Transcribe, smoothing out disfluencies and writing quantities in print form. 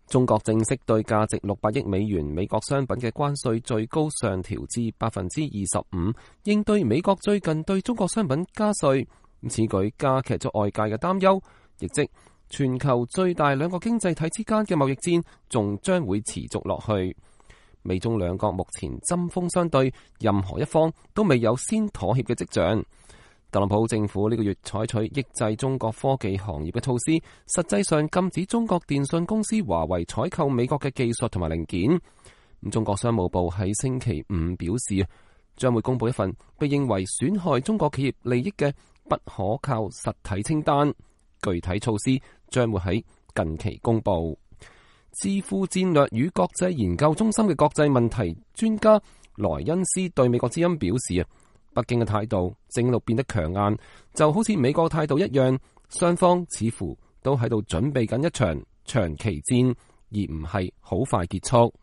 中國正式對價值600億美元美國商品嘅關稅最高上調至25%，應對美國最近對中國商品加稅。此舉加劇咗外界嘅擔憂，亦即全球最大兩個經濟體之間嘅貿易戰仲將會持續落去。美中兩國目前針鋒相對，任何一方都未有先妥協嘅跡象。特朗普政府呢個月採取抑制中國科技行業嘅措施，實際上禁止中國電信公司華為採購美國嘅技術同埋零件。中國商務部喺星期五表示，將會公布一份被認為損害中國企業利益嘅不可靠實體清單，具體措施將會喺近期公布。智庫戰略與國際研究中心嘅國際問題專家萊恩斯對美國之音表示，北京嘅態度正喺度變得強硬，就好似美國態度一樣，雙方似乎都喺度準備緊一場長期戰，而唔係好快結束。